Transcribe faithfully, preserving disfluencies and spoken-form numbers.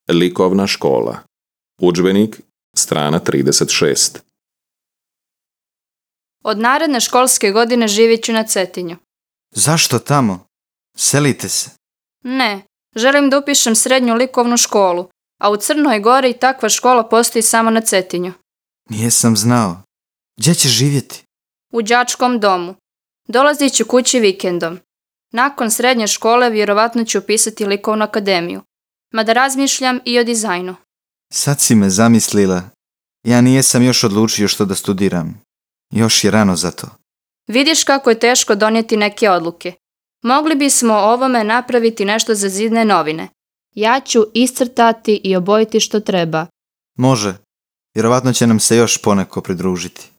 Likovna škola. Udžbenik, strana trideset šest. Od naredne školske godine živjet ću na Cetinju. Zašto tamo? Selite se. Ne, želim da upišem srednju likovnu školu, a u Crnoj Gori takva škola postoji samo na Cetinju. Nijesam znao. Gdje ćeš živjeti? U đačkom domu. Dolazit ću kući vikendom. Nakon srednje škole vjerovatno ću upisati likovnu akademiju. Mada razmišljam i o dizajnu. Sad si me zamislila. Ja nijesam još odlučio što da studiram. Još je rano za to. Vidiš kako je teško donijeti neke odluke. Mogli bismo o ovome napraviti nešto za zidne novine. Ja ću iscrtati i obojiti što treba. Može. Vjerovatno će nam se još poneko pridružiti.